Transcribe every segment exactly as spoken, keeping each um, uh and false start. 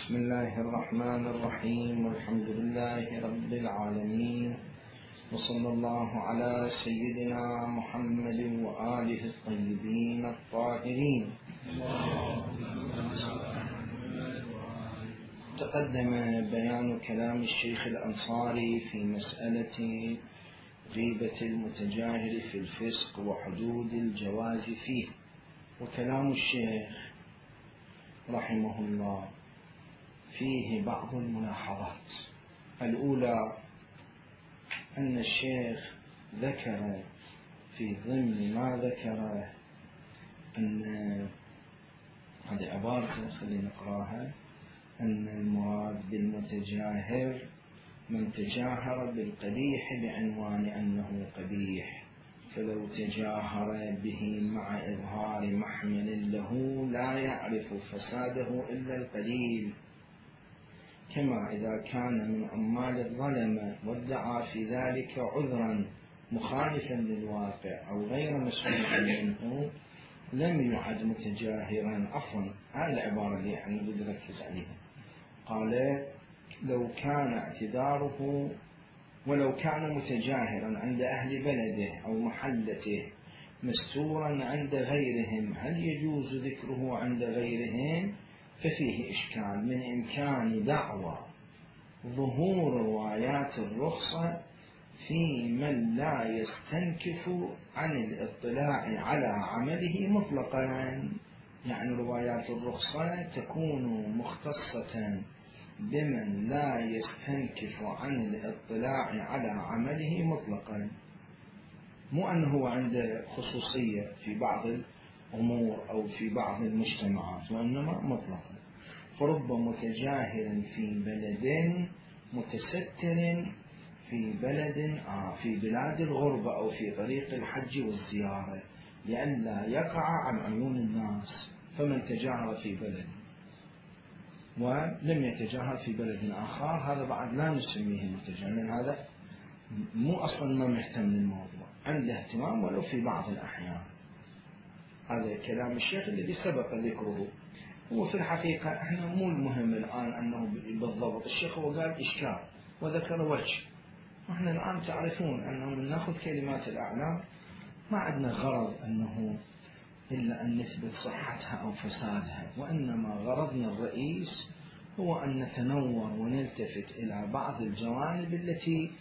بسم الله الرحمن الرحيم، والحمد لله رب العالمين، وصلى الله على سيدنا محمد وآله الطيبين الطاهرين. تقدم بيان كلام الشيخ الأنصاري في مسألة غيبة المتجاهر في الفسق وحدود الجواز فيه، وكلام الشيخ رحمه الله فيه بعض الملاحظات. الأولى أن الشيخ ذكر في ضمن ما ذكره أن هذه عبارة خلينا نقراها، أن المراد بالمتجاهر من تجاهر بالقبيح بعنوان أنه قبيح، فلو تجاهر به مع إظهار محمل له لا يعرف فساده إلا القليل، كما إذا كان من عمال الظلمة وادعى في ذلك عذرا مخالفا للواقع أو غير مسؤول منه لم يعد متجاهرا. عفوا هذه العبارة اللي يعني بدي أركز عليها. قال لو كان اعتذاره ولو كان متجاهرا عند أهل بلده أو محلته مستورا عند غيرهم هل يجوز ذكره عند غيرهم؟ ففيه إشكال من إمكان دعوى ظهور روايات الرخصة في من لا يستنكف عن الاطلاع على عمله مطلقا، يعني روايات الرخصة تكون مختصة بمن لا يستنكف عن الاطلاع على عمله مطلقا، مو أنه عنده خصوصية في بعض الأمور أو في بعض المجتمعات، وإنما مطلقا. فرب متجاهر في بلد متستر في بلد آه في بلاد الغربة أو في طريق الحج والزيارة لئلا يقع عن عيون الناس، فمن تجاهر في بلد ولم يتجاهر في بلد آخر هذا بعد لا نسميه متجاهر، لأن هذا مو أصلا ما مهتم للموضوع، عنده اهتمام ولو في بعض الأحيان. هذا كلام الشيخ الذي سبق ذكره. هو في الحقيقة احنا مو المهم الآن أنه بالضبط، الشيخ هو قال إشكال وذكر وجه، واحنا الآن تعرفون أنه من نأخذ كلمات الأعلام ما عندنا غرض أنه إلا أن نثبت صحتها أو فسادها، وإنما غرضنا الرئيس هو أن نتنور ونلتفت إلى بعض الجوانب التي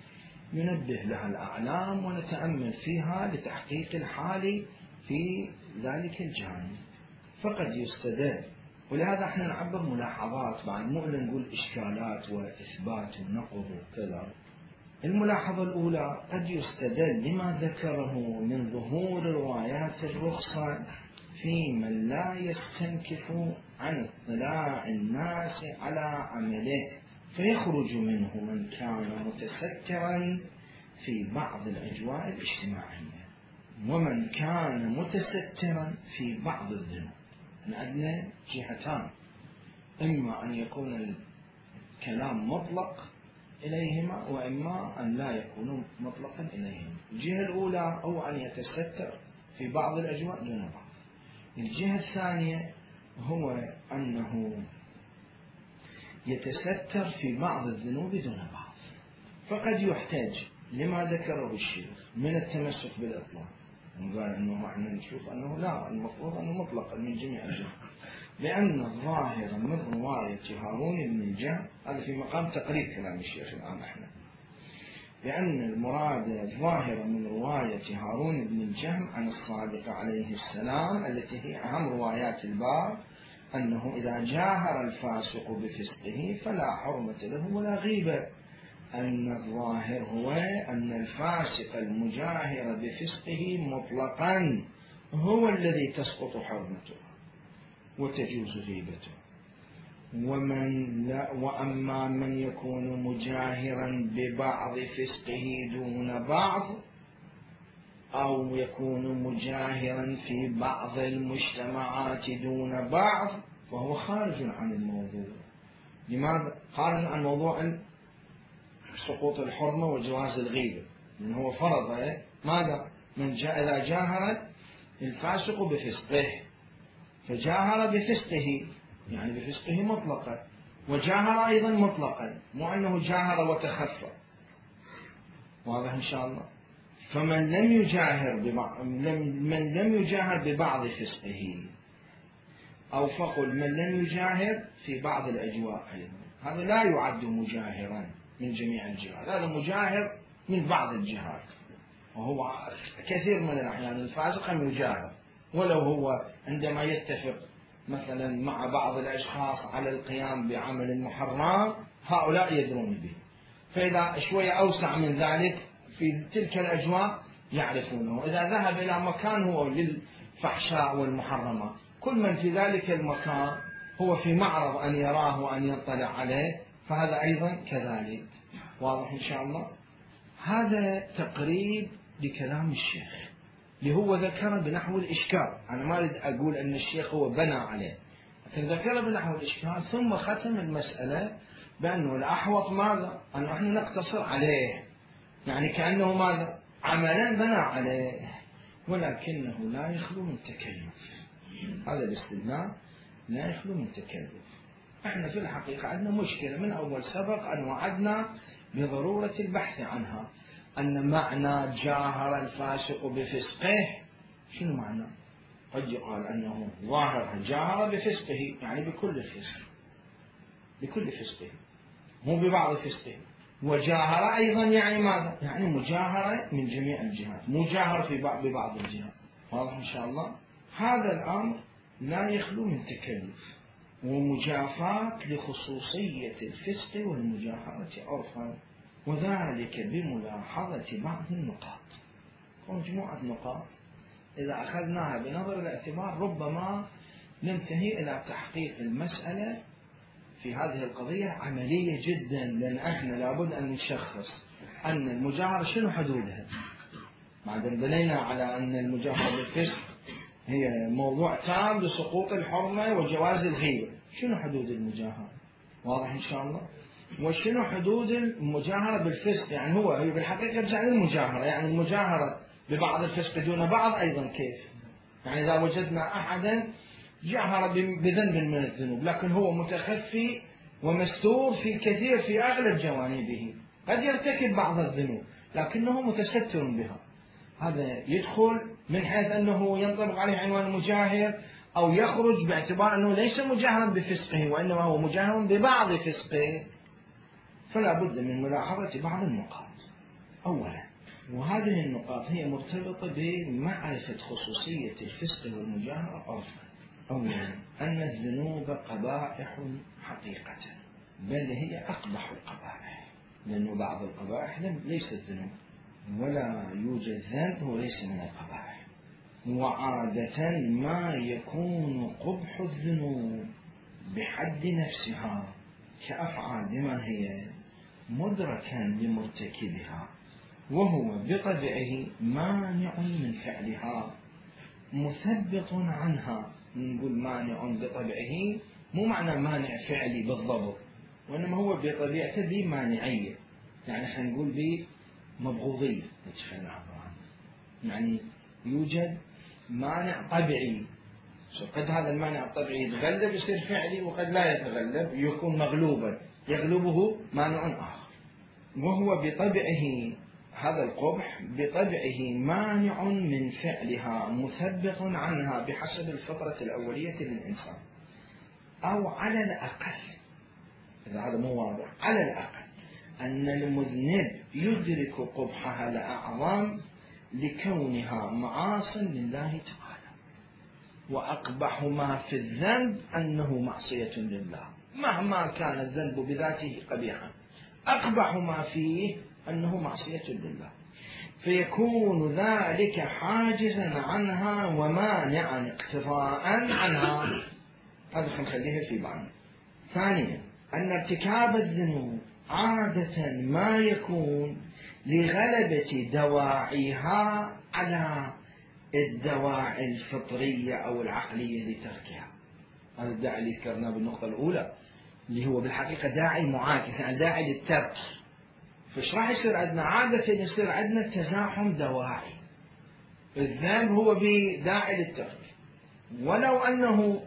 ينبه لها الأعلام ونتأمل فيها لتحقيق الحال في ذلك الجانب. فقد يستدل، ولهذا احنا نعبر ملاحظات بعد، مو إلا نقول إشكالات وإثبات ونقض وكذا. الملاحظة الأولى قد يستدل لما ذكره من ظهور روايات الرخصة في من لا يستنكف عن اطلاع الناس على عمله، فيخرج منه من كان متسترا في بعض الأجواء الاجتماعية ومن كان متسترا في بعض الذنوب. عندنا جهتان، إما أن يكون الكلام مطلق إليهما وإما أن لا يكون مطلقا إليهما. الجهة الأولى هو أن يتستر في بعض الأجواء دون بعض. الجهة الثانية هو أنه يتستر في بعض الذنوب دون بعض. فقد يحتاج لما ذكره الشيخ من التمسك بالإطلاق، قال أنه احنا نشوف أنه لا، المفروض أنه مطلقا من جميع الجهات، لأن الظاهر من رواية هارون بن الجهم، هذا في مقام تقريب كلام الشيخ الآن احنا، لأن المراد الظاهر من رواية هارون بن الجهم عن الصادق عليه السلام التي هي أهم روايات الباب أنه إذا جاهر الفاسق بفسقه فلا حرمة له ولا غيبة، أن الظاهر هو أن الفاسق المجاهر بفسقه مطلقا هو الذي تسقط حرمته وتجوز غيبته، ومن لا وأما من يكون مجاهرا ببعض فسقه دون بعض أو يكون مجاهرا في بعض المجتمعات دون بعض فهو خارج عن الموضوع. لماذا خارج عن موضوع سقوط الحرمة وجواز الغيبة؟ لأن هو فرض ماذا؟ من جاء إذا جاهر الفاسق بفسقه، فجاهر بفسقه يعني بفسقه مطلقا، وجاهر أيضا مطلقا، مو أنه جاهر وتخفى. واضح إن شاء الله؟ فمن لم يجاهر ببعض من لم يجاهر ببعض فسقه، أو فقل من لم يجاهر في بعض الأجواء أيضا، هذا لا يعد مجاهرا من جميع الجهات، هذا مجاهر من بعض الجهات. وهو كثير من الأحيان الفاسق أن يجاهر ولو هو عندما يتفق مثلا مع بعض الأشخاص على القيام بعمل محرم هؤلاء يدرون به، فإذا شوية أوسع من ذلك في تلك الأجواء يعرفونه. إذا ذهب إلى مكان هو للفحشاء والمحرمات، كل من في ذلك المكان هو في معرض أن يراه وأن يطلع عليه، فهذا أيضا كذلك. واضح إن شاء الله؟ هذا تقريب لكلام الشيخ اللي هو ذكر بنحو الإشكال. أنا ما أريد أقول أن الشيخ هو بنى عليه، لكن ذكر بنحو الإشكال ثم ختم المسألة بأنه الأحوط ماذا؟ أن نحن نقتصر عليه، يعني كأنه ماذا؟ عملا بنى عليه، ولكنه لا يخلو من تكلف. هذا الاستدلال لا يخلو من تكلف. احنا في الحقيقة عندنا مشكلة من أول سبق أن وعدنا بضرورة البحث عنها، أن معنى جاهر الفاسق بفسقه شنو معنى؟ قد يقال أنه ظاهر جاهر بفسقه يعني بكل فسق، بكل فسقه مو ببعض فسقه. وجاهر أيضا يعني ماذا؟ يعني مجاهرة من جميع الجهات، مجاهر في بعض ببعض الجهات. واضح إن شاء الله؟ هذا الأمر لا يخلو من تكلف ومجافاة لخصوصية الفسق والمجاهرة عرفا، وذلك بملاحظة بعض النقاط. مجموعة نقاط إذا أخذناها بنظر الاعتبار ربما ننتهي إلى تحقيق المسألة في هذه القضية عملية جدا، لأن احنا لابد أن نشخص أن المجاهرة شنو حدودها. بعدين بنينا على أن المجاهرة بالفسق هي موضوع تام لسقوط الحرمة وجواز الغيبة، شنو حدود المجاهرة؟ واضح إن شاء الله؟ وشنو حدود المجاهرة بالفسق؟ يعني هو هي بالحقيقة رجع للمجاهرة، يعني المجاهرة ببعض الفسق دون بعض أيضا كيف؟ يعني إذا وجدنا أحدا جاهر بذنب من الذنوب لكن هو متخفي ومستور في كثير في أغلب جوانبه، قد يرتكب بعض الذنوب لكنه متستر بها، هذا يدخل من حيث أنه ينطبق عليه عنوان المجاهر، أو يخرج باعتبار أنه ليس مجاهرا بفسقه وإنما هو مجاهر ببعض فسقه. فلا بد من ملاحظة بعض النقاط. أولا، وهذه النقاط هي مرتبطة بمعرفة خصوصية الفسق والمجاهرة عرفا. أولا، أن الذنوب قبائح حقيقة، بل هي أقبح القبائح، لأن بعض القبائح ليست ذنوب، ولا يوجد ذنب هو ليس من القبائح. وعادة ما يكون قبح الذنوب بحد نفسها كأفعال بما هي مدركا لمرتكبها، وهو بطبعه مانع من فعلها مثبط عنها. نقول مانع بطبعه مو معنى مانع فعلي بالضبط، وإنما هو بطبيعته بمانعية، يعني خلينا نقول بمبغوضية، يعني يوجد مانع طبيعي، قد هذا المانع الطبيعي يتغلب يصير فعلي، وقد لا يتغلب يكون مغلوبا يغلبه مانع آخر. وهو بطبعه هذا القبح بطبعه مانع من فعلها مثبط عنها بحسب الفطرة الأولية للإنسان، أو على الأقل، إذا هذا مو واضح، على الأقل أن المذنب يدرك قبحها الأعظم لكونها معاصٍ لله تعالى، وأقبح ما في الذنب أنه معصية لله، مهما كان الذنب بذاته قبيحا أقبح ما فيه أنه معصية لله، فيكون ذلك حاجزا عنها ومانعا اقتضاء عنها. هذا خليه في بعض. ثانيا، أن ارتكاب الذنوب عادة ما يكون لغلبة دواعيها على الدواعي الفطرية أو العقلية لتركها. هذا الداعي اللي ذكرناه بالنقطة الأولى اللي هو بالحقيقة داعي معاكس، يعني داعي للترك. فايش راح يصير عندنا؟ عادة يصير عندنا تزاحم دواعي. الذنب هو بداعي للترك، ولو أنه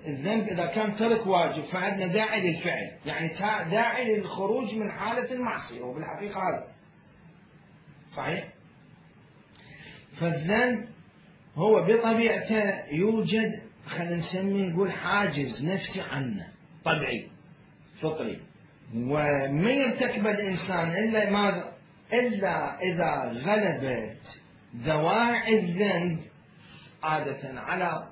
الذنب إذا كان ترك واجب فعندنا داعي للفعل، يعني داعي للخروج من حالة المعصية، وبالحقيقة هذا صحيح. فالذنب هو بطبيعته يوجد، خلينا نسميه نقول حاجز نفسي عنه طبيعي فطري، وما يرتكب الإنسان إلا ماذا؟ إلا إذا غلبت دواعي الذنب عادة على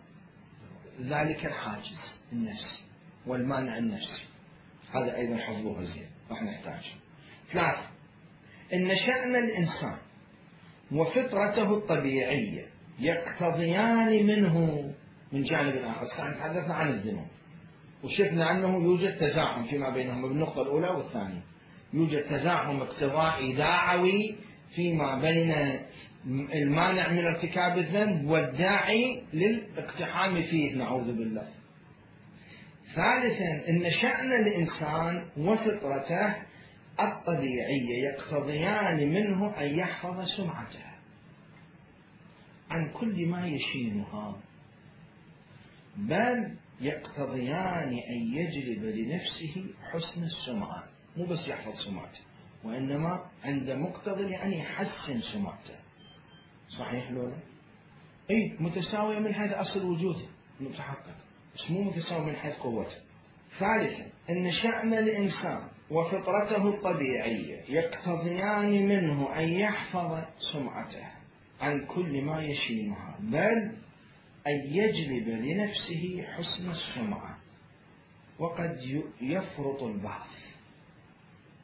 ذلك الحاجز النفسي والمانع النفسي. هذا أيضا حفظوه زين راح نحتاج. ثلاثة، إن شأن الإنسان وفطرته الطبيعية يقتضيان منه من جانب آخر. تحدثنا عن الذنوب وشفنا أنه يوجد تزاحم فيما بينهما بالنقطة الأولى والثانية، يوجد تزاحم اقتضائي داعوي فيما بين المانع من ارتكاب الذنب والداعي للاقتحام فيه نعوذ بالله. ثالثا، إن شأن الإنسان وفطرته الطبيعية يقتضيان منه أن يحفظ سمعته عن كل ما يشينها، بل يقتضيان أن يجلب لنفسه حسن السمعة، مو بس يحفظ سمعته وإنما عند مقتضى أن يحسن سمعته. صحيح لولا؟ أي متساوية من حيث أصل وجوده متحقق، بس مو متساوية من حيث قوته. ثالثا، إن شأن الإنسان وفطرته الطبيعية يقتضيان منه أن يحفظ سمعته عن كل ما يشينها، بل أن يجلب لنفسه حسن السمعة. وقد يفرط البعض،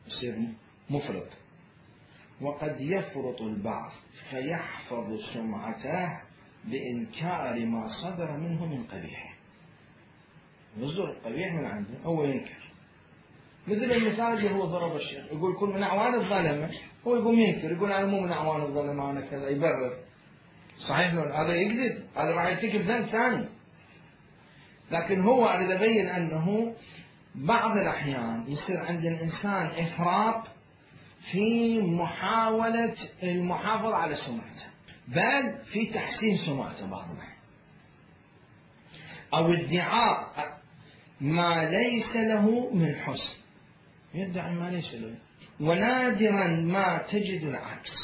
يصير مفرط، وقد يفرط البعض فيحفظ سمعته بإنكار ما صدر منه من قبيح. يصدر القبيح من عنده هو ينكر، مثل المثال اللي هو ضرب الشيخ، يقول كل من أعوان الظلمة، هو يقوم ينكر، يقول أنا مو من أعوان الظلمة أنا كذا، يبرر. صحيح هذا يكذب، هذا راح يرتكب ذنب ثاني. لكن هو أريد أبين أنه بعض الأحيان يصير عند الإنسان إفراط في محاولة المحافظة على سمعته، بل في تحسين سمعته بعض الأحيان، أو ادعاء ما ليس له من حسن، يدعي ما ليس له. ونادرا ما تجد العكس،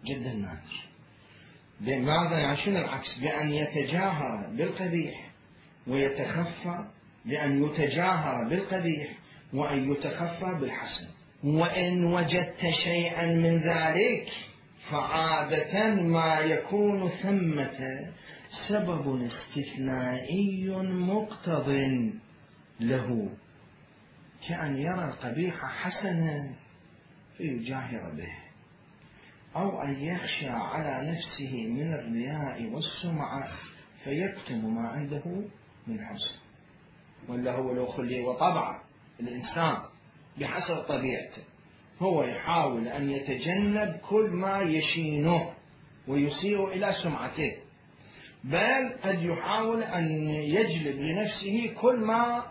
جدا نادر. بماذا؟ يعني شنو العكس؟ بأن يتجاهر بالقبيح ويتخفى، بأن يتجاهر بالقبيح وأن يتخفى بالحسن. وإن وجدت شيئا من ذلك فعادة ما يكون ثمة سبب استثنائي مقتض له، كأن يرى القبيح حسنا فيجاهر به، أو أن يخشى على نفسه من الرياء والسمعة فيكتم ما عنده من حسن. ولا هو لو خلي وطبعا الإنسان بحسب طبيعته هو يحاول أن يتجنب كل ما يشينه ويسيء إلى سمعته، بل قد يحاول أن يجلب لنفسه كل ما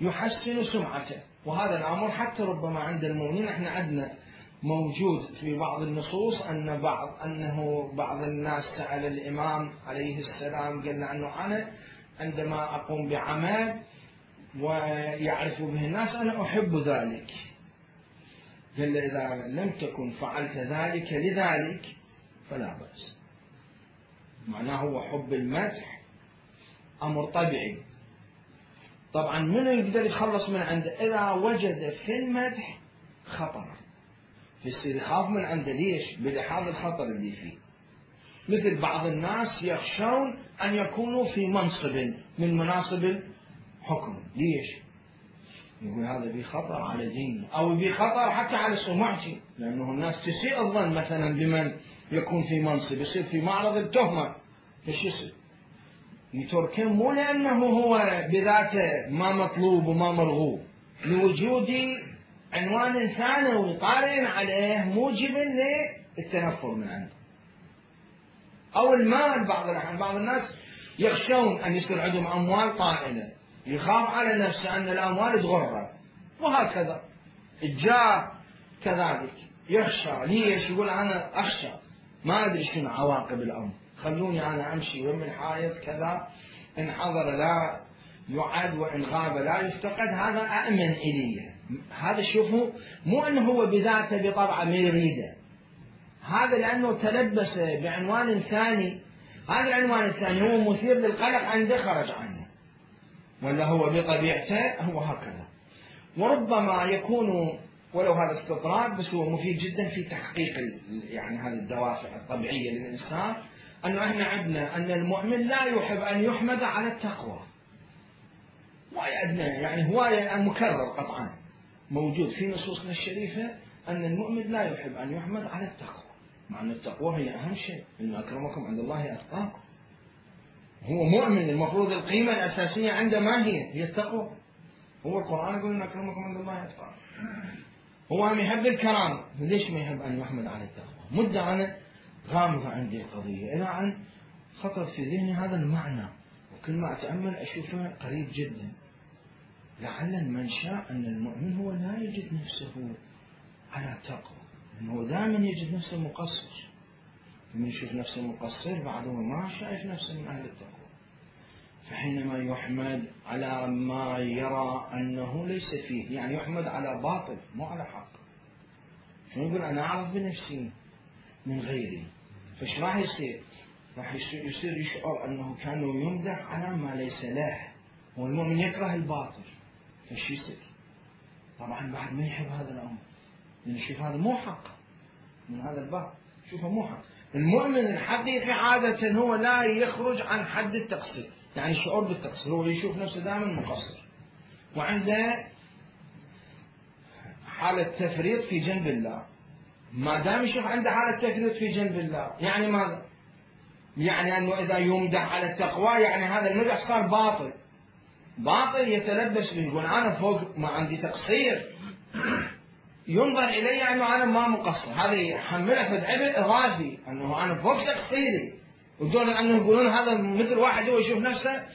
يحسن سمعته. وهذا الأمر حتى ربما عند المؤمنين، احنا عندنا موجود في بعض النصوص أن بعض أنه بعض الناس سأل الإمام عليه السلام قال له أنه أنا عندما أقوم بعمل ويعرف به الناس أنا أحب ذلك، قال له إذا لم تكن فعلت ذلك لذلك فلا بأس. معناه هو حب المدح أمر طبيعي. طبعا منو يقدر يخلص من عنده؟ إذا وجد في المدح خطر فيصير يخاف من عنده. ليش؟ بلحاظ الخطر اللي فيه. مثل بعض الناس يخشون أن يكونوا في منصب من مناصب الحكم. ليش؟ يقول هذا بي خطر على دينه، أو بي خطر حتى على سمعتي، لأنه الناس تسيء الظن مثلا بمن يكون في منصب، يصير في معرض التهمة. ايش يصير؟ يتركه مو لأنه هو بذاته ما مطلوب وما مرغوب، لوجود عنوان ثانوي طارئ عليه موجب للتنفر من عنده. أو المال، بعض الأحيان بعض الناس يخشون أن يصير عندهم أموال طائلة، يخاف على نفسه أن الأموال تغره، وهكذا الجاه كذلك يخشى. ليش؟ يقول أنا أخشى ما أدري شنو عواقب الأمر، خلوني أنا أمشي ومن الحائط كذا، إن حضر لا يعد وإن غاب لا يفتقد، هذا أأمن إليه. هذا شوفوا مو أنه هو بذاته بطبعه ما يريده، هذا لأنه تلبس بعنوان ثاني، هذا العنوان الثاني هو مثير للقلق عنده خرج عنه، ولا هو بطبيعته هو هكذا. وربما يكون ولو هذا استطراد بس هو مفيد جدا في تحقيق يعني هذه الدوافع الطبيعية للإنسان، أنه احنا عندنا أن المؤمن لا يحب أن يحمد على التقوى. يعني هواية المكرر قطعا موجود في نصوصنا الشريفة أن المؤمن لا يحب أن يحمد على التقوى، مع أن التقوى هي أهم شيء، إن أكرمكم عند الله أتقاكم. هو مؤمن المفروض القيمة الأساسية عنده ما هي؟ هي التقوى. هو القرآن يقول إن أكرمكم عند الله أتقاكم. هو هم يحب الكرامة، ليش ما يحب أن يحمد على التقوى؟ مدة أنا غامضة عندي القضية، إلى أن خطر في ذهني هذا المعنى، وكل ما أتأمل أشوفه قريب جدا. لعل المنشأ أن المؤمن هو لا يجد نفسه على تقوى، لأنه دائما يجد نفسه مقصر. من يشوف نفسه مقصر بعده ما شايف نفسه من أهل التقوى، فحينما يحمد على ما يرى أنه ليس فيه، يعني يحمد على باطل مو على حق. شو يقول أنا أعرف بنفسي من غيري، فش راح يصير؟ راح يصير يشعر أنه كان يمدح على ما ليس له، والمؤمن يكره الباطل، فش يصير؟ طبعا بعد ما يحب هذا الأمر، لأن يشوف هذا مو حق من هذا الباب، شوفه مو حق. المؤمن الحقيقي عادة هو لا يخرج عن حد التقصير، يعني الشعور بالتقصير، هو يشوف نفسه دائما مقصر، وعنده حالة تفريط في جنب الله. ما دام يشوف عنده حالة تفريط في جنب الله، يعني ماذا؟ يعني أنه إذا يمدح على التقوى يعني هذا المدح صار باطل، باطل يتلبس به، يقول أنا فوق ما عندي تقصير، ينظر إلي أنه أنا ما مقصر، هذا يحمله في عبء إضافي أنه أنا فوق تقصيري. ودون أنه يقولون هذا مثل واحد هو يشوف نفسه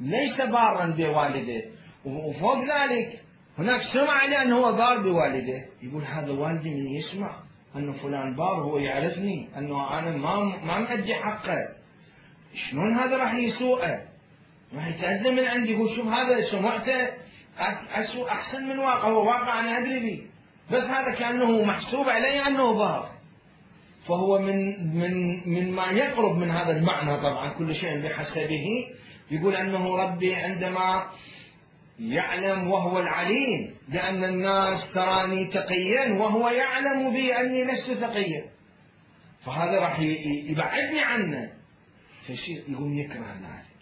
ليس بارا بوالديه، وفوق ذلك هناك سمع لأنه هو بار بوالديه، يقول هذا والدي من يسمع أنه فلان بار هو يعرفني أنه أنا ما ما مأدي حقه، شلون هذا راح يسوءه؟ راح يتأذى من عندي. يقول شوف هذا سمعته أسوء أحسن من واقع، هو واقع أنا أدري به، بس هذا كأنه محسوب علي أنه بار. فهو من من من ما يقرب من هذا المعنى، طبعا كل شيء بحسبه. يقول أنه ربي عندما يعلم وهو العليم لأن الناس تراني تقيا وهو يعلم بي أني لست تقيا، فهذا راح يبعدني عنه، فشيء يقوم يكره ذلك.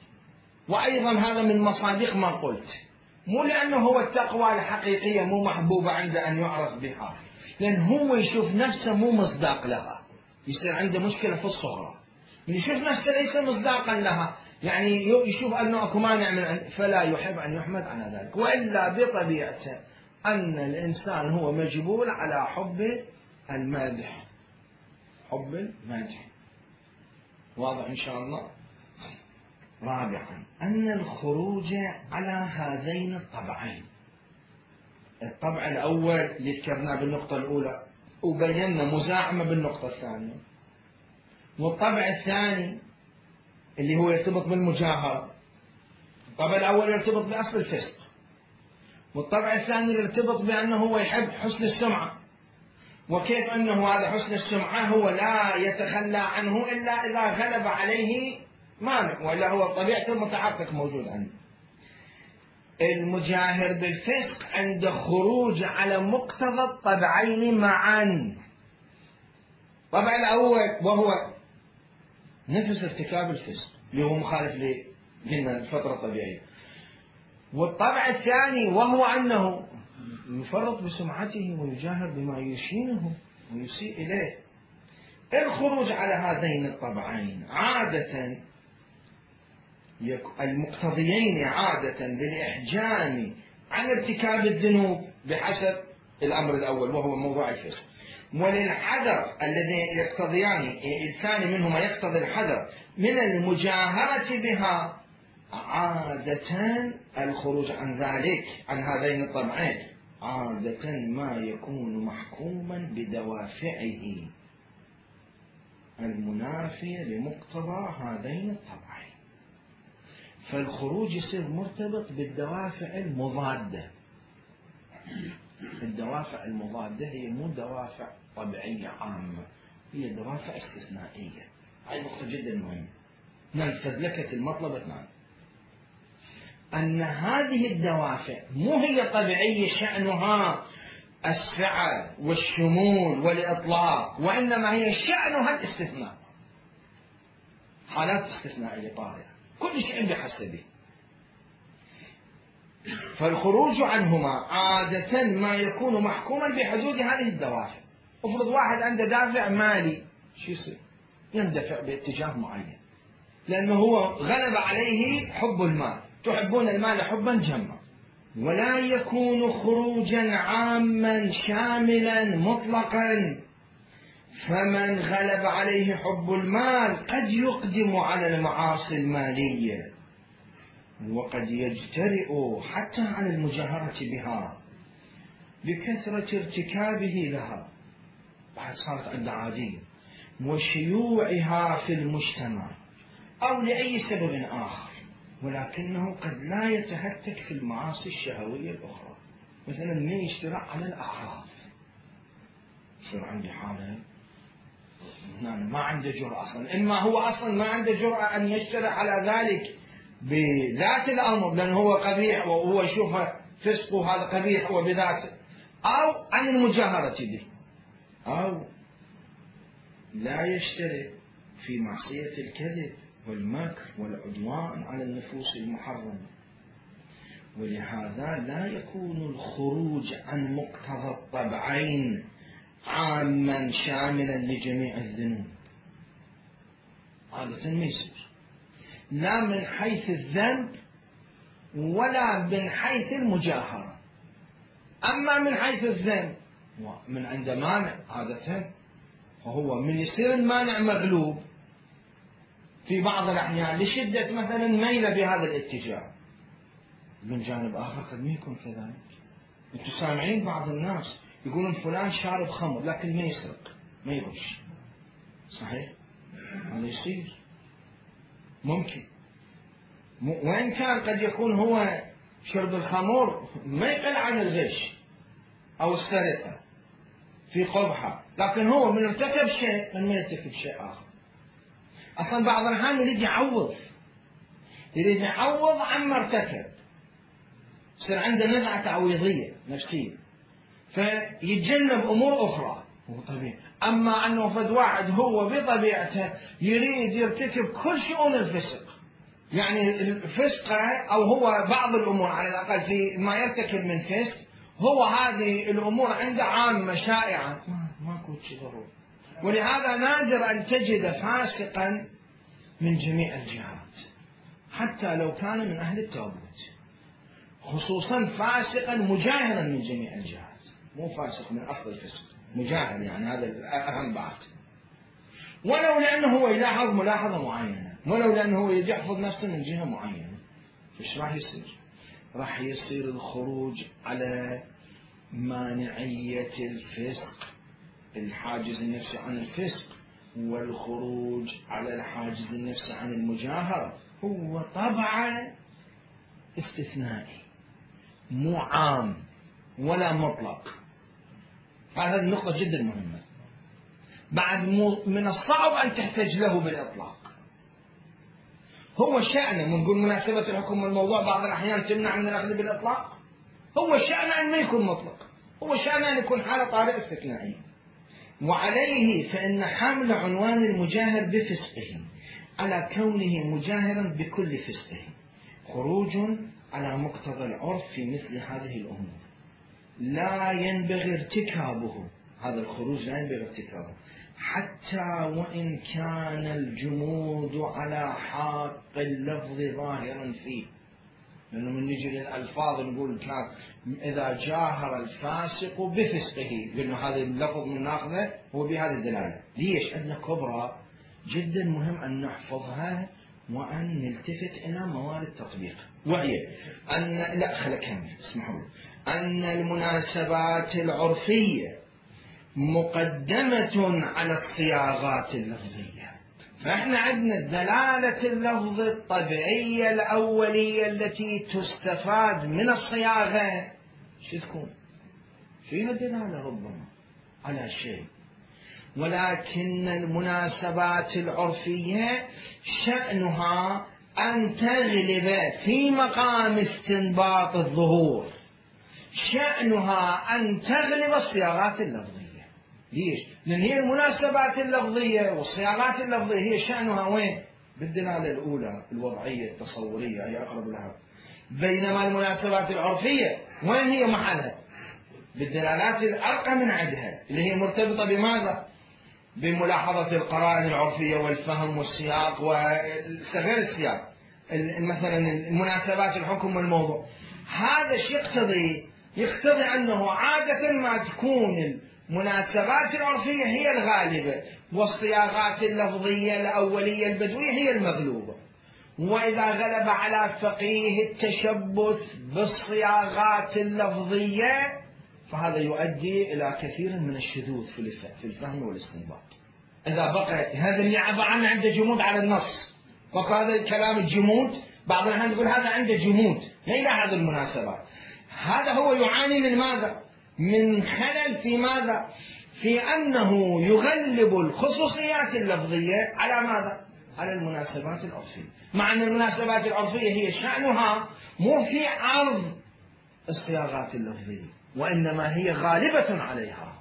وأيضا هذا من مصادق ما قلت، مو لأنه هو التقوى الحقيقية مو محبوبة عنده أن يعرف بها، لأن هو يشوف نفسه مو مصداق لها، يصير عنده مشكلة في الصغرى. من يشوف نفسه ليس مصداقا لها، يعني يشوف أنه أكو مانع من أن فلا يحب أن يحمد على ذلك، وإلا بطبيعته أن الإنسان هو مجبول على حب المدح، حب المدح. واضح إن شاء الله. رابعا أن الخروج على هذين الطبعين، الطبع الأول اللي ذكرناه بالنقطة الأولى وبينا مزاحمة بالنقطة الثانية، والطبع الثاني اللي هو يرتبط بالمجاهرة. الطبع الأول يرتبط بأصل الفسق، والطبع الثاني يرتبط بأنه هو يحب حسن السمعة، وكيف أنه هذا حسن السمعة هو لا يتخلى عنه إلا إذا غلب عليه مانع، وإلا هو طبيعته المتحقق موجود عنده. المجاهر بالفسق عند خروج على مقتضى الطبعين معا. الطبع الأول وهو نفس ارتكاب الفسق اللي هو مخالف للفطرة الطبيعية، والطبع الثاني وهو أنه يفرط بسمعته ويجاهر بما يشينه ويسيء إليه. الخروج على هذين الطبعين عادة المقتضيين عادة للإحجام عن ارتكاب الذنوب بحسب الأمر الأول وهو موضوع الفسق، وللحذر الذي يقتضيان الثاني منهما يقتضي الحذر من المجاهرة بها، عادة الخروج عن ذلك عن هذين الطبعين عادة ما يكون محكوما بدوافعه. المنافية لمقتضى هذين الطبعين. فالخروج يصير مرتبط بالدوافع المضادة. الدوافع المضادة هي مو دوافع طبيعية عامة، هي دوافع استثنائية. هاي نقطة جدا مهمة. ننفذ لك المطلب اثنان، أن هذه الدوافع مو هي طبيعية شأنها السعة والشمول والإطلاق، وإنما هي شأنها الاستثناء، حالات استثنائية طارئة، كل شيء بحسبه. فالخروج عنهما عادة ما يكون محكوما بحدود هذه الدوافع. افرض واحد عنده دافع مالي، شو يصير؟ يندفع باتجاه معين، لأنه هو غلب عليه حب المال، تحبون المال حبا جما. ولا يكون خروجا عاما شاملا مطلقا، فمن غلب عليه حب المال قد يقدم على المعاصي المالية، وقد يجترئ حتى على المجاهرة بها لكثرة ارتكابه لها، بعد صارت عنده عادية، وشيوعها في المجتمع أو لأي سبب آخر. ولكنه قد لا يتهتك في المعاصي الشهوية الأخرى، مثلا ما يشترع على الأعراض، يصير عندي حالة ما عنده جرأة أصلا، إما هو أصلا ما عنده جرأة أن يشترع على ذلك بذات الأمر لأنه هو قبيح وهو يشوفه فسق وهذا قبيح وبذاته، أو عن المجاهرة به، أو لا يشترك في معصية الكذب والمكر والعدوان على النفوس المحرمة. ولهذا لا يكون الخروج عن مقتضى الطبعين عاما شاملا لجميع الذنوب، عادة ما يصير، لا من حيث الذنب ولا من حيث المجاهرة. أما من حيث الذنب من عند مانع عادة، فهو من يصير المانع مغلوب في بعض الأحيان لشدة مثلا ميل بهذا الاتجاه، من جانب آخر قد ما يكون كذلك. أنتم سامعين بعض الناس يقولون فلان شارب خمر لكن ما يسرق ما يغش، صحيح؟ هذا يصير ممكن، وإن كان قد يكون هو شرب الخمر ما يقل عن الغش أو السرقة في قبحة، لكن هو من ارتكب شيء من ما يرتكب شيء آخر. أصلا بعض الأحيان يريد يعوض يريد يعوض عما ارتكب، يصير عنده نزعة تعويضية نفسية فيتجنب أمور أخرى، هو طبيعي. أما أنه فد واحد هو بطبيعته يريد يرتكب كل شؤون الفسق، يعني الفسق أو هو بعض الأمور على الأقل في ما يرتكب من فسق، هو هذه الأمور عنده عامة شائعة ماكو شيء ضروري. ولهذا نادر أن تجد فاسقا من جميع الجهات حتى لو كان من أهل التوبة، خصوصا فاسقا مجاهرا من جميع الجهات، مو فاسق من أصل الفسق، مجاهر، يعني هذا الأهم بعد. ولو لأنه هو يلاحظ ملاحظة معينة، ولو لأنه هو يحفظ نفسه من جهة معينة، فإيش راح يصير؟ راح يصير الخروج على مانعية الفسق، الحاجز النفسي عن الفسق، والخروج على الحاجز النفسي عن المجاهرة هو طبعا استثنائي مو عام ولا مطلق. هذه النقطة جدا مهمة. بعد من الصعب أن تحتاج له بالإطلاق، هو شأنه نقول مناسبة الحكم والموضوع بعض الأحيان تمنع من الأخذ بالإطلاق، هو شأنه أن ما يكون مطلق، هو شأنه أن يكون حالة طارئة استثنائية. وعليه فإن حمل عنوان المجاهر بفسقه على كونه مجاهرا بكل فسقه خروج على مقتضى العرف في مثل هذه الأمور، لا ينبغي ارتكابه. هذا الخروج لا ينبغي ارتكابه حتى وإن كان الجمود على حق اللفظ ظاهرا فيه، لأنه من نجي للألفاظ نقول كان إذا جاهر الفاسق بفسقه، لأنه هذا اللفظ من ناخذه هو بهذه الدلالة. ليش؟ أن كبرى جدا مهم أن نحفظها وأن نلتفت إلى موارد تطبيق، وهي أن لا خلك كمل اسمحوا أن المناسبات العرفية مقدمة على الصياغات اللفظية. فإحنا عندنا الدلالة اللفظ الطبيعية الأولية التي تستفاد من الصياغة شو تكون؟ فيها دلالة ربما على شيء، ولكن المناسبات العرفية شأنها أن تغلب في مقام استنباط الظهور، شأنها أن تغلب الصياغات اللفظية. ليش؟ لأن هي المناسبات اللفظية والصياغات اللفظية هي شأنها وين؟ بالدلالة الأولى الوضعية التصورية هي أقرب لها، بينما المناسبات العرفية وين هي محلها؟ بالدلالات الأرقى من عندها اللي هي مرتبطة بماذا؟ بملاحظة القرائن العرفية والفهم والسياق وغير السياق، مثلا المناسبات الحكم والموضوع. هذا شيء يقتضي يقتضي أنه عادة ما تكون المناسبات العرفية هي الغالبة والصياغات اللفظية الأولية البدوية هي المغلوبة. وإذا غلب على فقيه التشبث بالصياغات اللفظية فهذا يؤدي إلى كثير من الشذوذ في الفهم والاستنباط. إذا بقى هذا اللي عبارة عنده جمود على النص، وهذا الكلام الجمود بعض الأحيان يقول هذا عنده جمود لا يلاحظ المناسبات، هذا هو يعاني من ماذا؟ من خلل في ماذا؟ في أنه يغلب الخصوصيات اللفظية على ماذا؟ على المناسبات العرفية، مع أن المناسبات العرفية هي شأنها مو في عرض الصياغات اللفظية وإنما هي غالبة عليها،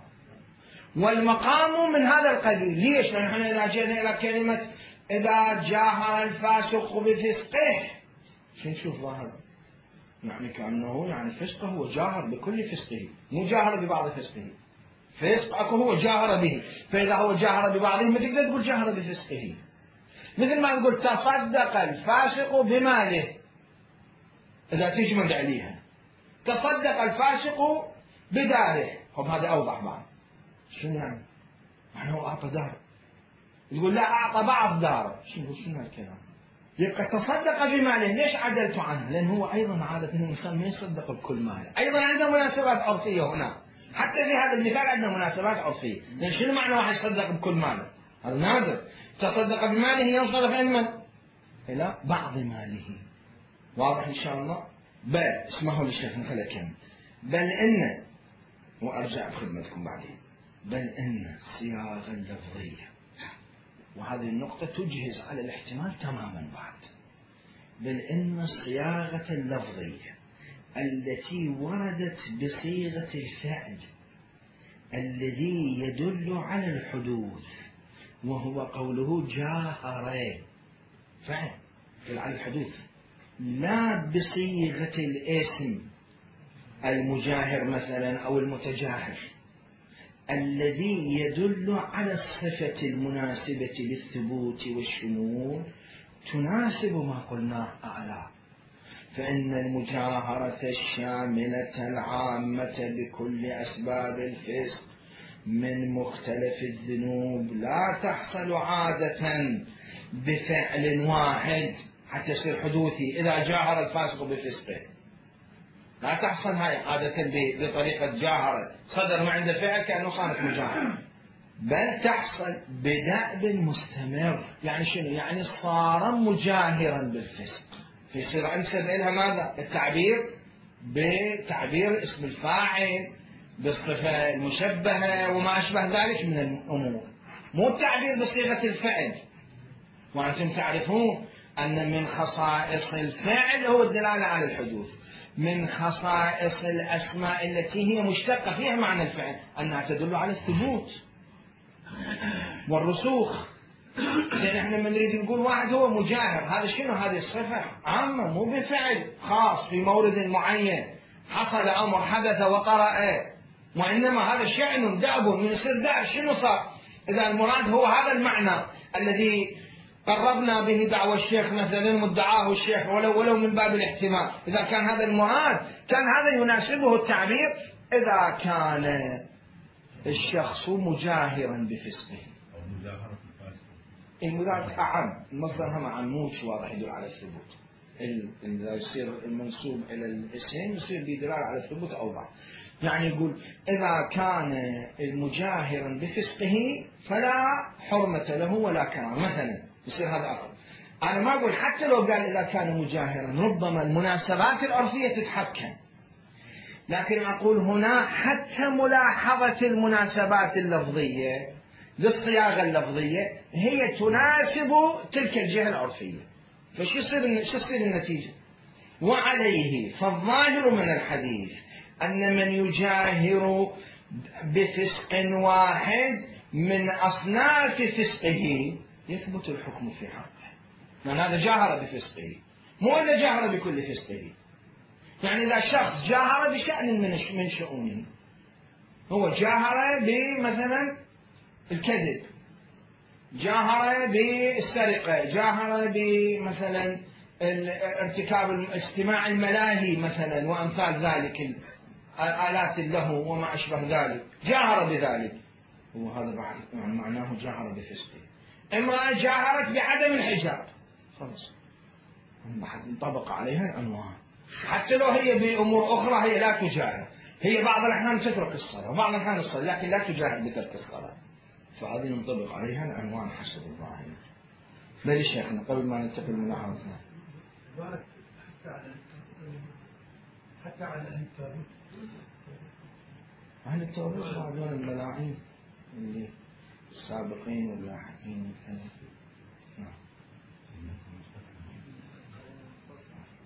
والمقام من هذا القبيل. ليش؟ لأن نحن إذا جئنا إلى كلمة إذا جاهر الفاسق بفسقه شو نشوف ظاهر؟ يعني كأنه يعني فسقه هو جاهر بكل فسقه، مو جاهر ببعض فسقه. فسق أكو هو جاهر به، فإذا هو جاهر ببعضه ما تقدر تقول جاهر بفسقه. مثل ما نقول تصدق الفاسق بماله إذا تجمد عليها، تصدق الفاسق بداره، هم هذا أوضح بعض. شنو يعني؟ يعني هو أعطى دار، يقول لا أعطى بعض داره، شنو شنو هالكلام؟ يبقى تصدق بماله، ليش عدلت عنه؟ لأن هو أيضا عادة الإنسان ما يصدق بكل ماله، أيضا عنده مناسبات عرفية هنا، حتى في هذا المثال عندنا مناسبات عرفية. لأن شنو معنى واحد يصدق بكل ماله؟ هذا نادر. تصدق بماله ينصرف إلى من؟ إلى بعض ماله. واضح إن شاء الله؟ بل اسمحوا للشيخ نخلي كم بل إن وأرجع بخدمتكم بعدين بل إن الصياغة اللفظية، وهذه النقطة تجهز على الاحتمال تماما بعد، بل إن الصياغة اللفظية التي وردت بصيغة الفعل الذي يدل على الحدوث وهو قوله جاهر فعل يدل على الحدوث، لا بصيغة الاسم المجاهر مثلا أو المتجاهر الذي يدل على الصفة المناسبة للثبوت والشمول تناسب ما قلناه أعلى. فإن المجاهرة الشاملة العامة بكل أسباب الفسق من مختلف الذنوب لا تحصل عادة بفعل واحد حتى يصير حدوثي. إذا جاهر الفاسق بفسقه لا تحصل هاي عادة بطريقة جاهرة، صدر ما عنده فعل كأنه صارت مجاهرة، بل تحصل بدأب مستمر. يعني شنو؟ يعني صار مجاهرا بالفسق، فيصير أنسب إلها ماذا؟ التعبير بتعبير اسم الفاعل بالصفة المشبهة وما أشبه ذلك من الأمور، مو التعبير بصيغة الفعل. وأنتم تعرفون أن من خصائص الفعل هو الدلالة على الحدوث، من خصائص الأسماء التي هي مشتقة فيها معنى الفعل أنها تدل على الثبوت والرسوخ. لأن احنا من نريد نقول واحد هو مجاهر، هذا شنو؟ هذه الصفة عامة مو بفعل خاص في مورد معين حصل أمر حدث وطرأ، وإنما هذا شأن دأب من يصير دأب. شنو صار؟ إذا المراد هو هذا المعنى الذي قربنا به دعوى الشيخ مثلا مدعاه الشيخ ولو ولو من باب الاحتمال، إذا كان هذا المراد كان هذا يناسبه التعبير إذا كان الشخص مجاهرا بفسقه. المراد أعم، المصدر هم عموش واضح يدل على الثبوت. إذا يصير المنسوب إلى الاسم يصير بدلالة على الثبوت أوضح. يعني يقول إذا كان مجاهرا بفسقه فلا حرمة له ولا كرامة مثلا، يصير هذا أقل. أنا ما أقول حتى لو قال إذا كان مجاهرا ربما المناسبات العرفية تتحكم، لكن أقول هنا حتى ملاحظة المناسبات اللفظية للصياغة اللفظية هي تناسب تلك الجهة العرفية. فشو يصير شو يصير النتيجة؟ وعليه فالظاهر من الحديث أن من يجاهر بفسق واحد من أصناف فسقه يثبت الحكم في حقه، لأن هذا جاهر بفسقه، مو أنه جاهر بكل فسقه. يعني إذا شخص جاهر بشأن من شؤونه، هو جاهر بمثلا الكذب، جاهر بالسرقة، جاهر بمثلا ارتكاب اجتماع الملاهي مثلا وأمثال ذلك، آلات اللهو وما أشبه ذلك، جاهر بذلك، وهذا بعد يعني معناه جاهر بفسقه. امرأة جاهرت بعدم الحجاب، خلاص بعد انطبق عليها العنوان، حتى لو هي بأمور أخرى هي لا تجاهر، هي بعض الأحيان تترك الصلاة وبعض الأحيان الصلاة، لكن لا تجاهر بترك الصلاة، فهذه ينطبق عليها العنوان حسب الظاهر. بل شيخنا قبل ما ننتقل من ملاحظتنا حتى على أهل التابوت، أهل التابوت بعضون الملاعين اللي السابقين واللاحقين والكلام. نعم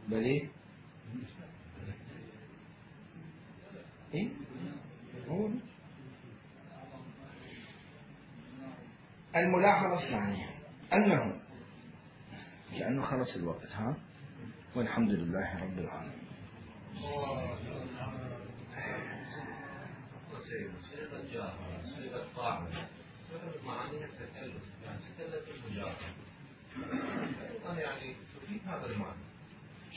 بلي إيه هو الملاحظة الثانية أنه كأنه خلص الوقت ها، والحمد لله رب العالمين. صيغة الجاهرة، صيغة فاعل، معانيها تتكلف، يعني تتكلف المجاهرة. أيضا يعني تفيد هذا المعنى.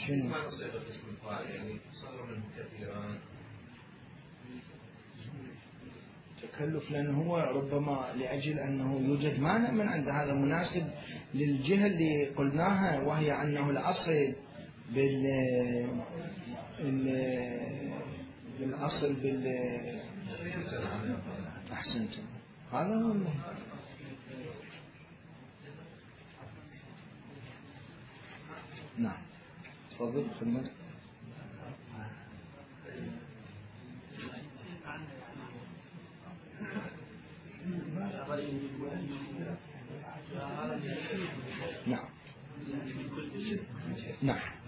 شنو؟ معنى صيغة اسم الفاعل يعني صدر منه كثيرا. تكلف لأنه هو ربما لأجل أنه يوجد مانع من عند هذا مناسب للجهة اللي قلناها، وهي أنه الأصل بال بالأصل بال أحسنتم، هذا هو المهم. نعم تفضل خدمتك. نعم نعم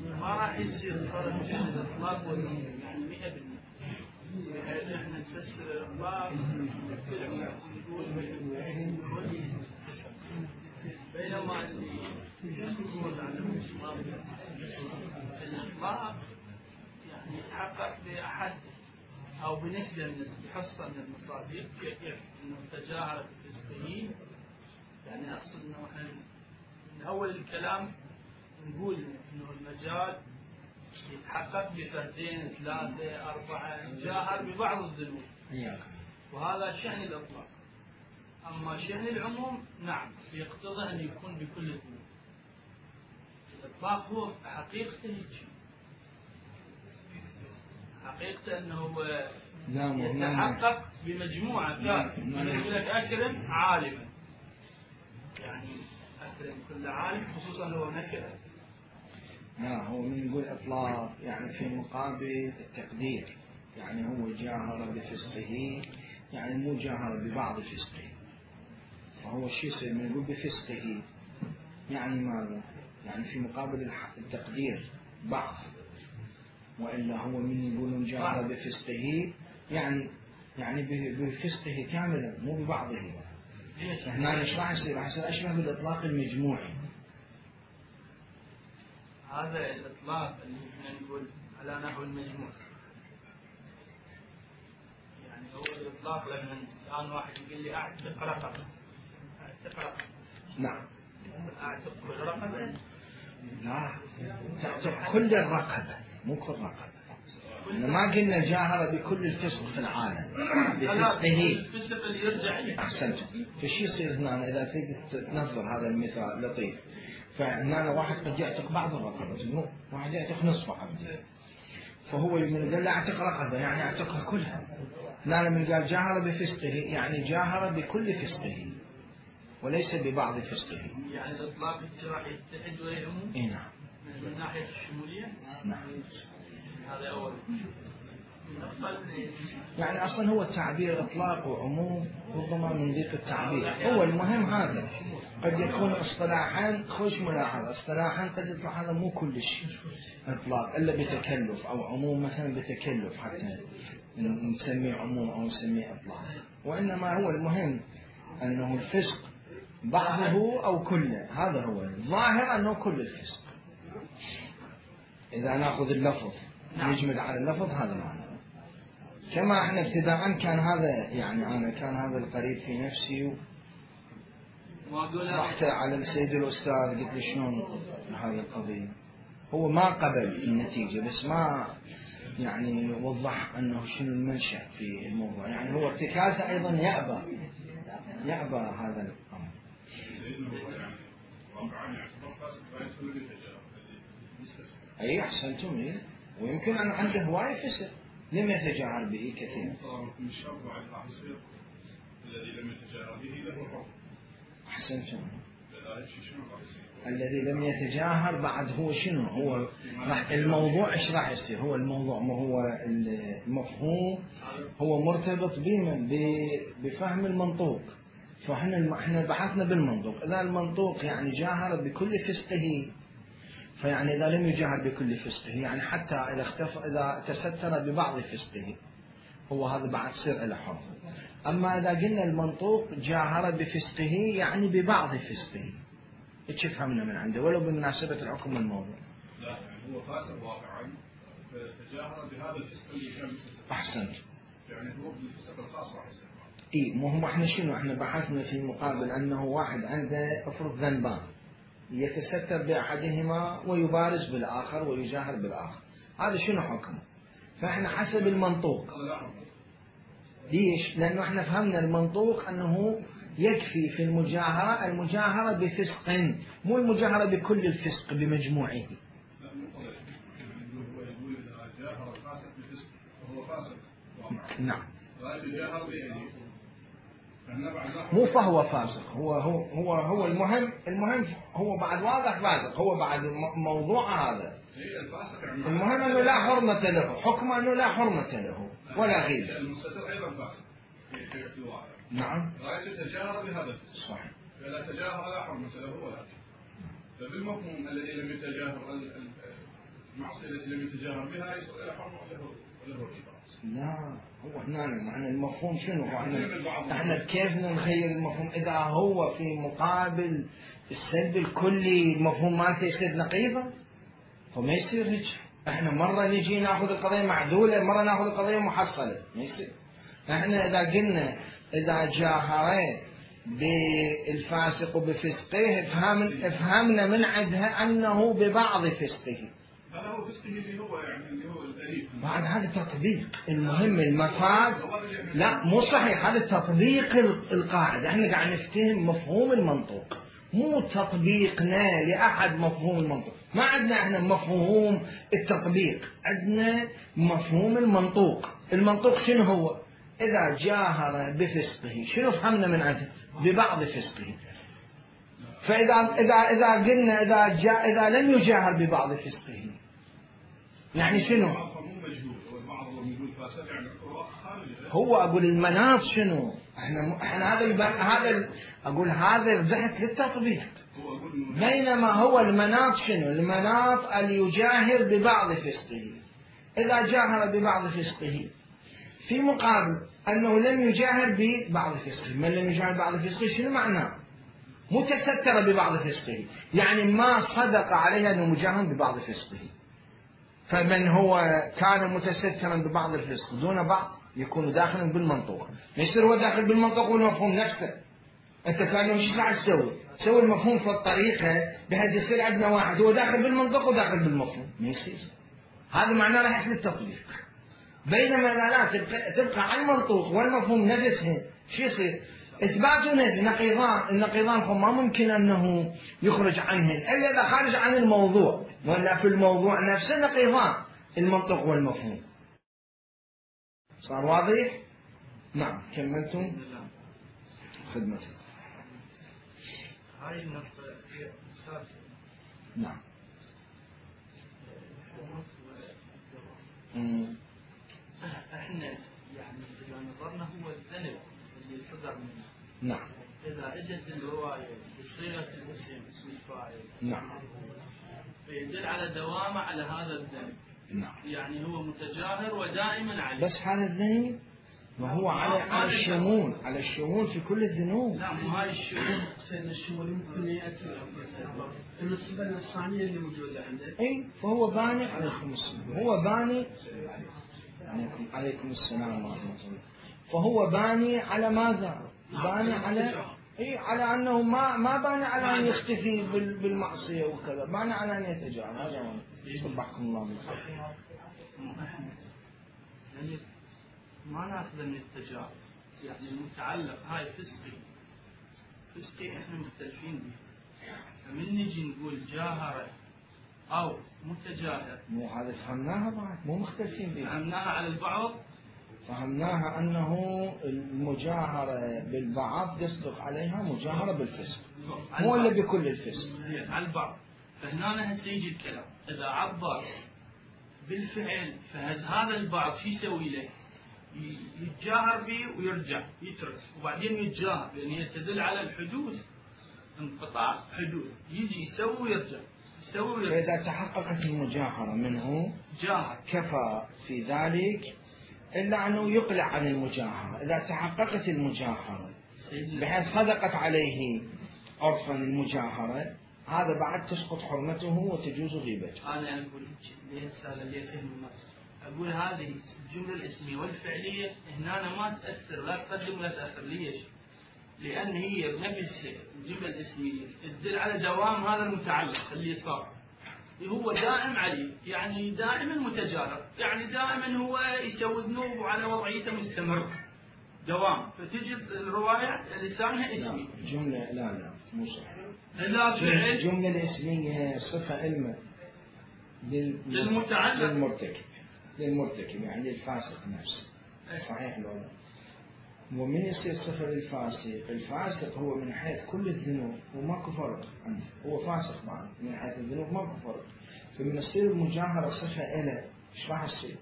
ما راح يصير فرق بين الإطلاق والتفسير يعني مئة بالمئة، بحيث احنا نفسر الإطلاق بينما اللي يقول عن الإطلاق الإطلاق يعني يتحقق بأحد أو بنسبة من بحصة من المصادر كيف إنه تجاهر في الفسقين. يعني أقصد إنه إحنا من أول الكلام نقول إنه المجال يتحقق بفردين ثلاثة أربعة، جاهر ببعض الذنوب، وهذا شأن الإطلاق. أما شأن العموم نعم يقتضي أن يكون بكل الذنوب. الإطلاق هو حقيقته هيك، حقيقته أنه يتحقق بمجموعة كافية. أنا أقول لك أكرم عالما، يعني أكرم كل عالم خصوصا لو نكرة. لا هو من يقول إطلاق يعني في مقابل التقدير، يعني هو جاهر بفسقه يعني مو جاهر ببعض فسقه، فهو شيء يصير من يقول بفسقه يعني ماذا؟ يعني في مقابل التقدير بعض، وإلا هو من يقولون جاهر بفسقه يعني يعني بفسقه كاملا مو ببعضه. فهنا ايش راح يصير؟ راح يصير أشبه بالإطلاق المجموعي. هذا الإطلاق اللي احنا نقول على نحو المجموع، يعني هو الإطلاق لما الآن واحد يقول لي أعتق رقبة، أعتق رقبة. نعم. أعتق كل رقبة؟ لا، تعتق كل الرقبة مو كل رقبة. ما قلنا جاهر بكل الفسق في العالم بفسقه. الفسق اللي يرجع إليه. أحسنت. فشي يصير هنا إذا تقدر تنظر هذا المثال لطيف. فهنا واحد قد يعتق بعض الرقبة، واحد يعتق نصف عبده. فهو من قال لا اعتق رقبة يعني اعتقها كلها. لا من قال جاهر بفسقه يعني جاهر بكل فسقه وليس ببعض فسقه. يعني الإطلاق راح يتحد ويعموم؟ اي نعم. من ناحية الشمولية؟ نعم. هذا أول. يعني أصلا هو التعبير إطلاق وعموم ربما من ضيق التعبير. هو المهم هذا قد يكون اصطلاحا خوش ملاحظة اصطلاحا قد يطلع هذا مو كل شيء إطلاق إلا بتكلف أو عموم مثلا بتكلف حتى نسميه عموم أو نسميه إطلاق. وإنما هو المهم أنه الفسق بعضه أو كله. هذا هو الظاهر أنه كل الفسق. إذا نأخذ اللفظ نجمد على اللفظ هذا معنى. كما احنا ابتداء كان هذا يعني أنا كان هذا القريب في نفسي رحت على السيد الأستاذ قلت له شلون هذه القضية. هو ما قبل النتيجة بس ما يعني وضح أنه شنو المنشأ في الموضوع. يعني هو ارتكازه أيضا يأبى يأبى هذا الأمر. أي أحسنتم إيه؟ ويمكن أن عنده هواية فسق لم يتجاهر به كثيرا. الذي لم يتجاهر به له حكم. أحسنتم. الذي لم يتجاهر بعد هو شنو؟ هو راح الموضوع إيش راح يصير؟ هو الموضوع ما هو المفهوم هو مرتبط بمن؟ بفهم المنطوق. فإحنا إحنا بحثنا بالمنطوق. إذا المنطوق يعني جاهر بكل فسقه فيعني إذا لم يجاهر بكل فسقه يعني حتى إذا اختف إذا تستر ببعض فسقه هو هذا بعد صير له حكم. أما إذا قلنا المنطوق جاهر بفسقه يعني ببعض فسقه إيش فهمنا من عنده ولو بمناسبة الحكم الموضوع. لا يعني هو فاسق واقعا فتجاهر بهذا الفسق اللي كان مستتر. أحسنت. يعني هو بالفسق الخاص راح يصير. إيه مو هم إحنا شنو إحنا بحثنا في مقابل أنه واحد عنده أفرض ذنبان يتستر بأحدهما ويبارز بالآخر ويجاهر بالآخر. هذا شنو حكمه؟ فإحنا حسب المنطوق. ليش؟ لأنه إحنا فهمنا المنطوق أنه يكفي في المجاهرة المجاهرة بفسق مو المجاهرة بكل الفسق بمجموعه. لا مو قضية. هو يقول إذا جاهر الفاسق بفسق فهو فاسق. نعم. لا يتجاهر بأيديه. مو فهو فاسق هو هو هو هو المهم المهم هو بعد واضح فاسق هو بعد موضوع هذا. المهم أنه لا حرمة له حكم أنه لا حرمة له ولا غير. المستتر أيضا فاسق في الواقع. نعم. لا يتجاهر بهذا الفسق. صحيح. فلا تجاهر لا حرمة له ولا. فبالمفهوم الذي لم يتجاهر المعصية التي لم يتجاهر بها يصير له حرمة له له ربا. لا هو هنا معنى المفهوم شنو؟ احنا احنا كيف نغير المفهوم اذا هو في مقابل السلب الكلي المفهوم مالته يصير نقيضا؟ هو ما يصير هيك. احنا مره نجي ناخذ القضيه معدوله مره ناخذ القضيه محصله ما يصير. احنا اذا قلنا اذا جاهر بالفاسق بفسقه افهم افهمنا من عندها انه ببعض فسقه. هذا هو فسقه اللي هو يعني اللي هو الأليف. بعد هذا تطبيق المهم المفاد لا مو صحيح هذا تطبيق القاعدة. احنا قاعد نفتهم مفهوم المنطوق مو تطبيقنا لأحد مفهوم المنطوق. ما عندنا احنا مفهوم التطبيق عندنا مفهوم المنطوق. المنطوق شنو هو؟ إذا جاهر بفسقه شنو فهمنا من عنده؟ ببعض فسقه. فإذا إذا إذا قلنا إذا جاء إذا لم يجاهر ببعض فسقه يعني شنو؟ هو أقول المناط شنو؟ احنا احنا هذا الب... هذا ال... أقول هذا بحث للتطبيق. بينما هو المناط شنو؟ المناط أن يجاهر ببعض فسقه. إذا جاهر ببعض فسقه في مقابل أنه لم يجاهر ببعض فسقه. من لم يجاهر ببعض فسقه شنو معناه؟ متستر ببعض فسقه يعني ما صدق عليه أنه مجاهر ببعض فسقه. فمن هو كان متسترا ببعض الفسق دون بعض يكون داخلا بالمنطوق. يصير هو داخل بالمنطوق والمفهوم نفسه. انت كان ايش قاعد تسوي؟ تسوي المفهوم في الطريقه بحيث يصير عندنا واحد هو داخل بالمنطوق وداخل بالمفهوم. ما يصير. هذا معناه راح يصير التطبيق. بينما اذا لا تبقى, تبقى على المنطوق والمفهوم نفسه شو يصير؟ اثبات ونفي نقيضان. النقيضان ما ممكن انه يخرج عنهن الا اذا خارج عن الموضوع ولا في الموضوع نفسه نقيضان. المنطق والمفهوم. صار واضح؟ نعم كملتم خدمتك. هاي النقطة هي السادسة. نعم. مم. احنا يعني اذا نظرنا هو الذنب اللي صدر منه. نعم. اذا اجت الرواية بصيغة الاسم اسم الفاعل. نعم. فيدل على دوامه على هذا الذنب. نعم. يعني هو متجاهر ودائما عليه. بس هذا الذنب وهو على على الشمول على الشمول في كل الذنوب. لا مو هاي الشمول. سيدنا الشمول يمكن يأتي النسبة الثانية اللي موجودة عنده. اي فهو باني عليكم السلام. هو باني عليكم عليكم السلام ورحمة الله. فهو باني على ماذا؟ باني على اي على انه ما ما باني على ان يختفي بالمعصية وكذا، باني على ان يتجاهل. هذا هو. صبحكم الله بالخير. يعني ما ناخذ من التجاهل، يعني المتعلق هاي فسقي فسقي احنا مختلفين به. فمن نجي نقول جاهرة او متجاهر، مو هذا فهمناها بعد، مو مختلفين بها. فهمناها على البعض. فهمناها انه المجاهرة بالبعض يصدق عليها مجاهرة بالفسق، مو الا بكل الفسق. على البعض. فهنا هسه يجي الكلام، اذا عبر بالفعل فهذا البعض شو يسوي له؟ يتجاهر به ويرجع يترك وبعدين يتجاهر، لان تدل على الحدوث، انقطاع حدوث، يجي يسوي ويرجع يسوي ويرجع. فإذا تحققت المجاهرة منه جاهر كفى في ذلك، إلا أنه يقلع عن المجاهرة. إذا تحققت المجاهرة بحيث صدقت عليه عرفا المجاهرة، هذا بعد تسقط حرمته وتجوز غيبته. أنا أقول ليه هذا اللي يفهم النص، أقول هذه الجملة الاسمية والفعلية هنا ما تأثر، لا تقدم ولا تأثر. ليش؟ لأن هي بنفسها الجملة الاسمية تدل على دوام هذا المتعلق اللي صار، هو دائم عليه، يعني دائما متجاهر، يعني دائما هو يسوي ذنوب وعلى وضعيته مستمر دوام. فتجي الرواية لسانها اسمي. لا جملة لا لا مو صحيح. لا فعل. الجملة الاسمية صفة علمة للمتعلق للمرتكب للمرتكب يعني للفاسق نفسه. صحيح لو لا؟ ومن يصير صفة للفاسق؟ الفاسق هو من حيث كل الذنوب وماكو فرق عنده، هو فاسق معه من حيث الذنوب ماكو فرق. فمن يصير المجاهرة صفة إله، إيش راح يصير؟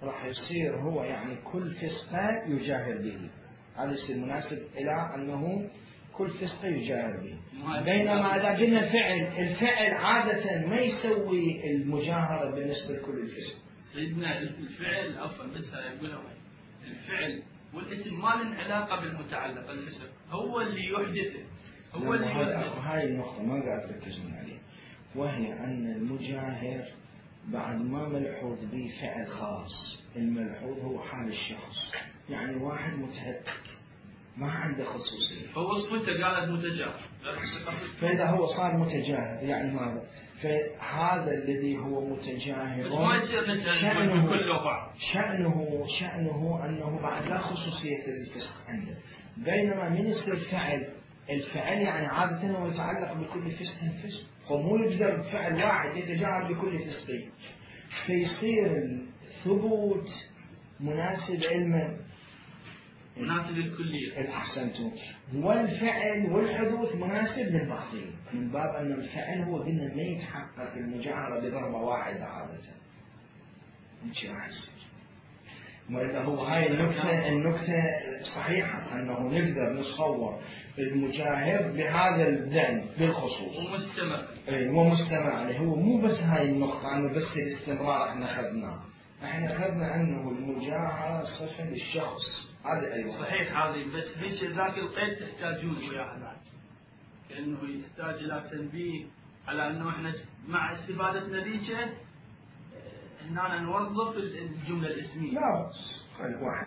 راح يصير هو يعني كل فسقة يجاهر به. هذا يصير مناسب إلى أنه كل فسقة يجاهر به. بينما إذا قلنا فعل، الفعل عادة ما يسوي المجاهرة بالنسبة لكل الفسق. سيدنا الفعل عفوا بس يقولها الفعل والاسم ما لهم علاقة بالمتعلق الفسق، هو اللي يحدثه، هو اللي يحدثه. هاي النقطة ما قاعد تركزون عليها، وهي أن المجاهر بعد ما ملحوظ به فعل خاص، الملحوظ هو حال الشخص، يعني واحد متهتك ما عنده خصوصية، هو اسمه قالت متجاهر، فإذا هو صار متجاهر يعني ماذا؟ فهذا الذي هو متجاهر بس ما يصير شأنه كله بعض. شأنه شأنه أنه بعد لا خصوصية للفسق عنده. بينما من يصير فعل، الفعل يعني عادة هو يتعلق بكل فسق فسق، فمو يقدر بفعل واحد يتجاهر بكل فسق، فيصير الثبوت مناسب علما مناسب للكلية. الأحسنتم. والفعل والحدوث مناسب للبعضين، من باب أن الفعل هو قلنا ما يتحقق المجاهرة بضربة واحدة عادة. مش راح يصير. وإذا هو هاي النكتة النكتة صحيحة أنه نقدر نصور المجاهر بهذا الذنب بالخصوص. ومستمر. إيه ومستمر عليه. هو مو بس هاي النقطة أنه بس الاستمرار احنا أخذناه. احنا أخذنا أنه المجاهرة صفة للشخص. هذا أيضا صحيح هذه، بس هيك ذاك القيد تحتاجون وياها بعد، كأنه يحتاج إلى تنبيه على أنه احنا مع استفادتنا ذيك هنا نوظف الجملة الاسمية. لا بس خلي واحد